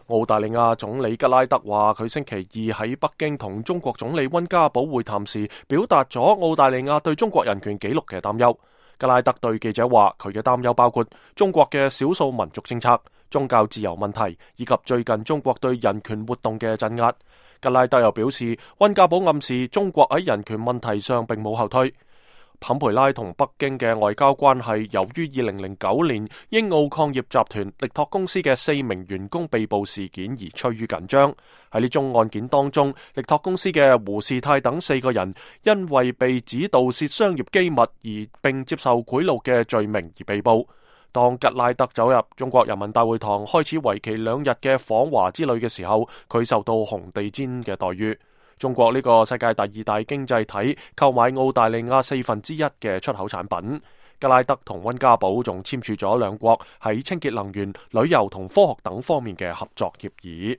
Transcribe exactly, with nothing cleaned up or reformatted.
澳大利亞總理吉拉德話，佢星期二喺北京同中國總理溫家寶會談時，表達咗澳大利亞對中國人權紀錄嘅擔憂。吉拉德對記者話，佢嘅擔憂包括中國嘅少數民族政策、宗教自由問題，以及最近中國對人權活動嘅鎮壓。吉拉德又表示，溫家寶暗示中國喺人權問題上並冇後退。坎培拉同北京嘅外交關係由於二零零九年英澳礦業集團力拓公司嘅四名員工被捕事件而趨於緊張。喺呢宗案件當中，力拓公司嘅胡士泰等四個人因為被指盜竊商業機密而並接受賄賂嘅罪名而被捕。當吉拉德走入中國人民大會堂開始為期兩日嘅訪華之旅嘅時候，佢受到紅地毯嘅待遇。中國呢個世界第二大經濟體購買澳大利亞四分之一嘅出口產品。吉拉德同溫家寶仲簽署咗兩國喺清潔能源、旅遊同科學等方面嘅合作協議。